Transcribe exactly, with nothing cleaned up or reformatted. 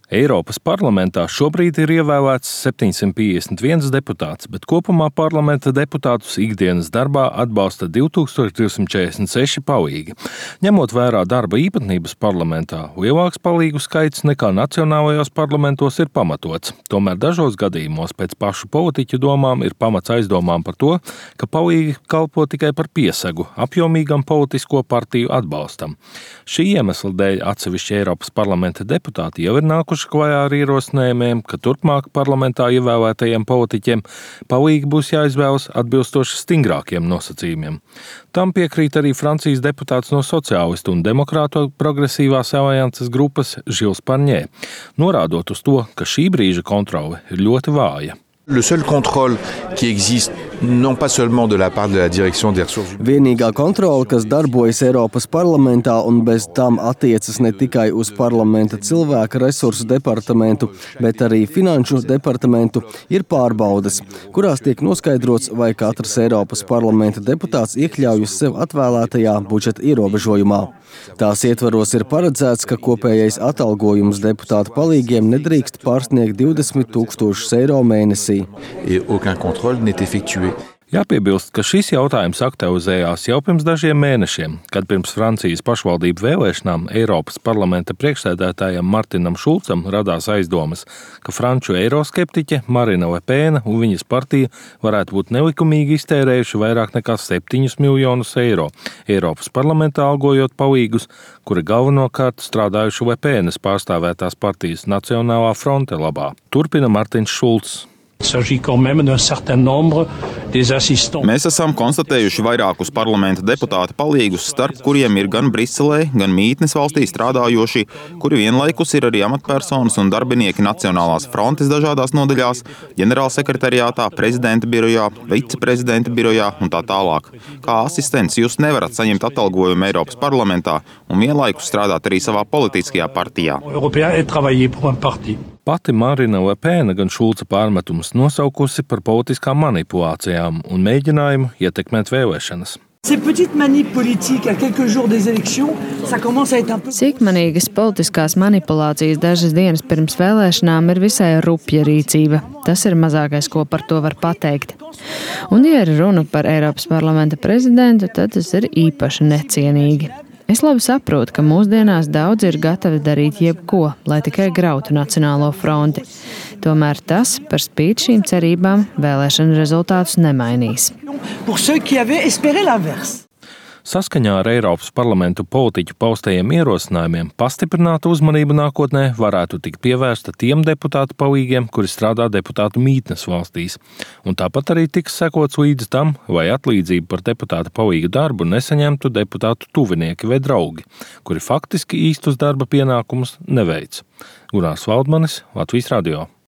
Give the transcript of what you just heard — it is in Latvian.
Eiropas parlamentā šobrīd ir ievēlēts septiņsimt piecdesmit viens deputāts, bet kopumā parlamenta deputātus ikdienas darbā atbalsta divi tūkstoši divsimt četrdesmit seši palīgi. Ņemot vērā darba īpatnības parlamentā, lielāks palīgu skaits nekā nacionālajos parlamentos ir pamatots. Tomēr dažos gadījumos pēc pašu politiķu domām ir pamats aizdomām par to, ka palīgi kalpo tikai par piesagu apjomīgam politisko partiju atbalstam. Šī iemesla dēļ atsevišķi Eiropas parlamenta deputāti jau ir nākuši klajā ar ierosinājumiem, ka turpmāk parlamentā ievēlētajiem politiķiem palīgi būs jāizvēlas atbilstoši stingrākiem nosacījumiem. Tam piekrīt arī Francijas deputāts no Sociālistu un Demokrātu progresīvās alianses grupas Žils Parņē, norādot uz to, ka šī brīža kontrole ir ļoti vāja. Le seul contrôle qui existe, non pas seulement de la part de la direction des ressources humaines. Vienīgā kontrole, kas darbojas Eiropas parlamentā un bez tam attiecas ne tikai uz parlamenta cilvēka resursu departamentu, bet arī finanšu departamentu, ir pārbaudes, kurās tiek noskaidrots, vai katrs Eiropas parlamenta deputāts iekļaujas sev atvēlētajā budžeta ierobežojumā. Tās ietvaros ir paredzēts, ka kopējais atalgojums deputātu palīgiem nedrīkst pārsniegt divdesmit tūkstošus eiro mēnesī. Et aucun contrôle n'est effectué. Jāpiebilst, ka šis jautājums aktualizējās jau pirms dažiem mēnešiem, kad pirms Francijas pašvaldību vēlēšanām Eiropas parlamenta priekšsēdētājam Martinam Šulcam radās aizdomas, ka franču eiroskeptiķe Marine Le Pen un viņas partija varētu būt nelikumīgi iztērējuši vairāk nekā septiņus miljonus eiro Eiropas parlamentā algojot palīgus, kuri galvenokārt strādājuši Le Penes pārstāvētās partijas Nacionālā fronte labā. Turpina Martins Šulcs. Mēs esam konstatējuši vairākus parlamenta deputāta palīgus, starp kuriem ir gan Briselē, gan mītnes valstī strādājoši, kuri vienlaikus ir arī amatpersonas un darbinieki Nacionālās frontes dažādās nodaļās, ģenerālsekretariātā, prezidenta birojā, viceprezidenta birojā un tā tālāk. Kā asistents jūs nevarat saņemt atalgojumu Eiropas parlamentā un vienlaikus strādāt arī savā politiskajā partijā. Pati Marine Le Pen gan Šulca pārmetumus nosaukusi par politiskām manipulācijām un mēģinājumu ietekmēt vēlēšanas. Sīkmanīgas politiskās manipulācijas dažas dienas pirms vēlēšanām ir visai rupja rīcība. Tas ir mazākais, ko par to var pateikt. Un, ja ir runa par Eiropas parlamenta prezidentu, tad tas ir īpaši necienīgi. Es labi saprotu, ka mūsdienās daudz ir gatavi darīt jebko, lai tikai grautu Nacionālo fronti. Tomēr tas, par spīti šīm cerībām, vēlēšanu rezultātus nemainīs. Saskaņā ar Eiropas parlamentu politiķu paustajiem ierosinājumiem pastiprināta uzmanība nākotnē varētu tikt pievērsta tiem deputātu palīgiem, kuri strādā deputātu mītnes valstīs. Un tāpat arī tiks sekots līdz tam, vai atlīdzību par deputāta palīgu darbu nesaņemtu deputātu tuvinieki vai draugi, kuri faktiski īstus darba pienākumus neveic. Gunārs Valdmanis, Latvijas radio.